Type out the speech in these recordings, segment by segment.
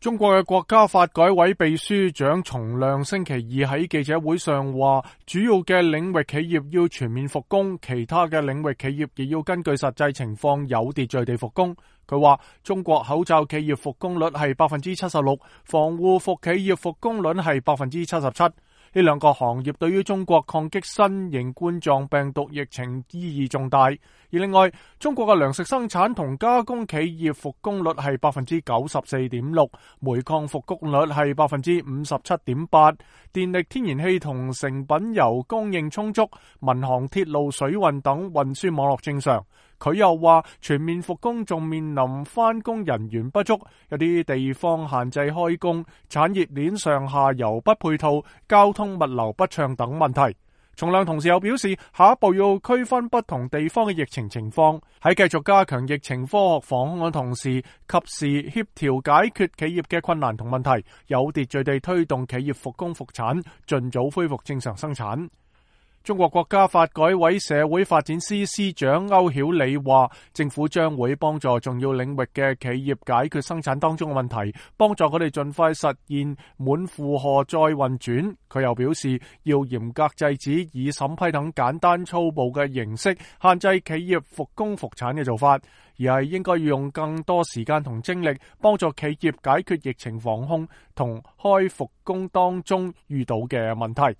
中國嘅國家發改委秘書長叢亮星期二喺記者會上話，主要嘅領域企業要全面復工，其他嘅領域企業亦要根據實際情況有秩序地復工。佢話中國口罩企業復工率係76%，防護服企業復工率係77%。呢兩個行業對於中國抗擊新型冠狀病毒疫情意義重大。而另外，中國嘅糧食生產同加工企業復工率係94.6%，煤礦復工率係57.8%，電力、天然氣同成品油供應充足，民航、鐵路、水運等運輸網絡正常。佢又話全面復工仲面臨返工人員不足，有啲地方限制開工，產業鏈上下游不配套，交通物流不暢等問題。叢亮同時又表示，下一步要區分不同地方嘅疫情情況，喺繼續加強疫情科學防控嘅同時，及時協調解決企業嘅困難同問題，有秩序地推動企業復工復產，盡早恢復正常生產。中國國家發改委社會發展司司長歐曉理話，政府將會幫助重要領域嘅企業解決生產當中嘅問題，幫助佢哋盡快實現滿負荷再運轉。佢又表示，要嚴格制止以審批等簡單粗暴嘅形式限制企業復工復產嘅做法，而係應該要用更多時間同精力幫助企業解決疫情防控同開復工當中遇到嘅問題。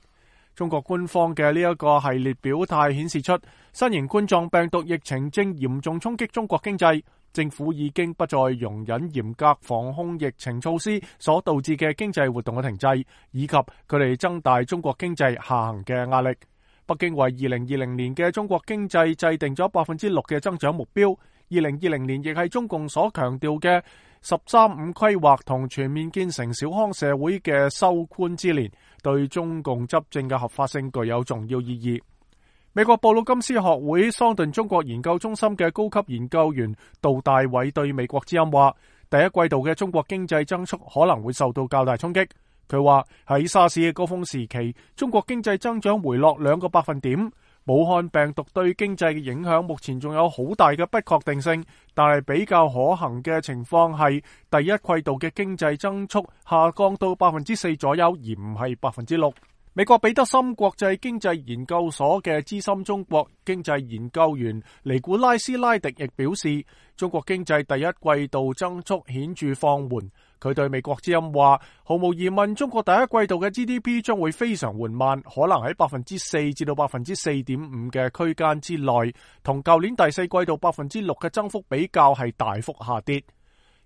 中國官方嘅呢一個系列表態顯示出，新型冠狀病毒疫情正嚴重衝擊中國經濟，政府已經不再容忍嚴格防控疫情措施所導致嘅經濟活動嘅停滯，以及佢哋增大中國經濟下行嘅壓力。北京為2020年嘅中國經濟制定咗6%嘅增長目標，2020年亦係中共所強調嘅13五規劃同全面建成小康社會嘅收寬之年，對中共執政嘅合法性具有重要意義。美國布魯金斯學會桑頓中國研究中心嘅高級研究員杜大偉對美國之音話，第一季度嘅中國經濟增速可能會受到較大衝擊。佢話喺沙士嘅高峰時期，中國經濟增長回落2個百分點。武漢病毒對經濟嘅影響目前仲有好大嘅不確定性，但係比較可行嘅情況係第一季度嘅經濟增速下降到4%左右，而唔係6%。美國彼得森國際經濟研究所嘅資深中國經濟研究員尼古拉斯拉迪亦表示，中國經濟第一季度增速顯著放緩。佢對美國之音話，毫無疑問，中國第一季度嘅 GDP 將會非常緩慢，可能喺4%至到4.5%嘅區間之內，同舊年第四季度6%嘅增幅比較係大幅下跌。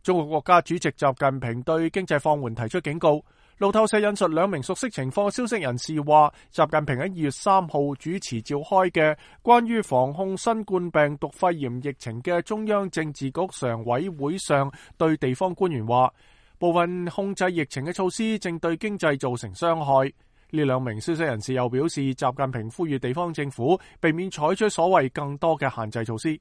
中國國家主席習近平對經濟放緩提出警告。路透社引述兩名熟悉情況嘅消息人士話，習近平喺2月3號主持召開嘅關於防控新冠病毒肺炎疫情嘅中央政治局常委會上，對地方官員話，部分控制疫情嘅措施正對經濟造成傷害。呢兩名消息人士又表示，習近平呼籲地方政府避免採取所謂更多嘅限制措施。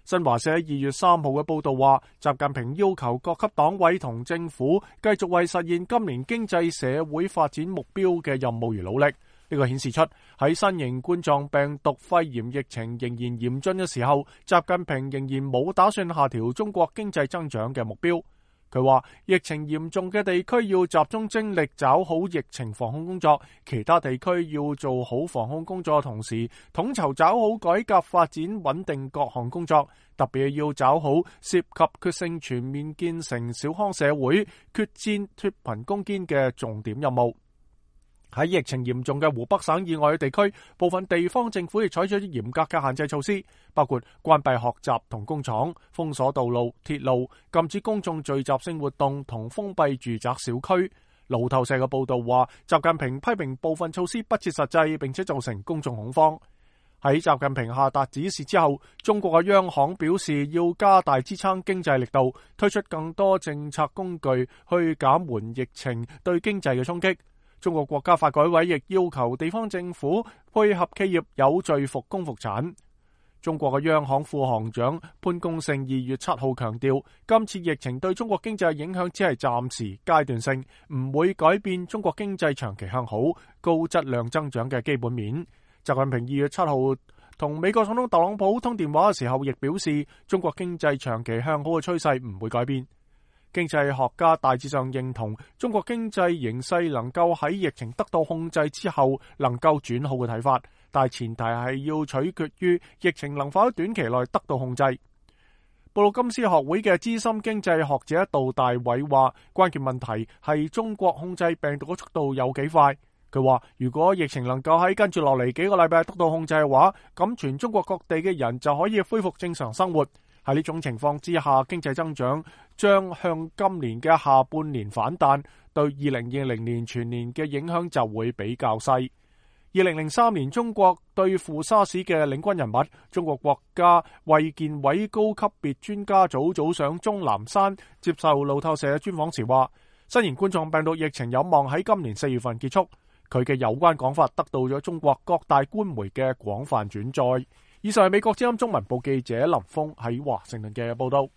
新華社2月3號嘅報道話，習近平要求各級黨委同政府繼續為實現今年經濟社會發展目標嘅任務而努力。呢個顯示出喺新型冠狀病毒肺炎疫情仍然嚴峻嘅時候，習近平仍然冇打算下調中國經濟增長嘅目標。佢話，疫情嚴重嘅地區要集中精力抓好疫情防控工作，其他地區要做好防控工作嘅同時，統籌抓好改革發展穩定各項工作，特別要抓好涉及決勝全面建成小康社會、決戰脫貧攻堅嘅重點任務。喺疫情嚴重嘅湖北省以外嘅地區，部分地方政府亦採取咗嚴格嘅限制措施，包括關閉學習同工廠、封鎖道路、鐵路、禁止公眾聚集性活動同封閉住宅小區。路透社嘅報道話，習近平批評部分措施不切實際，並且造成公眾恐慌。喺習近平下達指示之後，中國嘅央行表示要加大支撐經濟力度，推出更多政策工具去減緩疫情對經濟嘅衝擊。中國國家發改委亦要求地方政府配合企業有序復工復產。中國嘅央行副行長潘功勝2月7號強調，今次疫情對中國經濟嘅影響只係暫時階段性，唔會改變中國經濟長期向好、高質量增長嘅基本面。習近平2月7號同美國總統特朗普通電話嘅時候，亦表示中國經濟長期向好嘅趨勢唔會改變。經濟學家大致上認同中國經濟形勢能夠喺疫情得到控制之後能夠轉好嘅睇法，但係前提係要取決於疫情能否喺短期內得到控制。布魯金斯學會嘅資深經濟學者杜大偉話，關鍵問題係中國控制病毒嘅速度有幾快。佢話如果疫情能夠喺跟住落嚟幾個禮拜得到控制嘅話，咁全中國各地嘅人就可以恢復正常生活。喺呢種情況之下，經濟增長將向今年嘅下半年反彈，對2020年全年嘅影響就會比較細。2003年中國對付沙士嘅領軍人物，中國國家衛健委高級別專家組組長鍾南山接受路透社專訪時話，新型冠狀病毒疫情有望喺今年4月份結束。佢嘅有關講法得到咗中國各大官媒嘅廣泛轉載。以上係美國之音中文部記者林峰喺華盛頓嘅報道。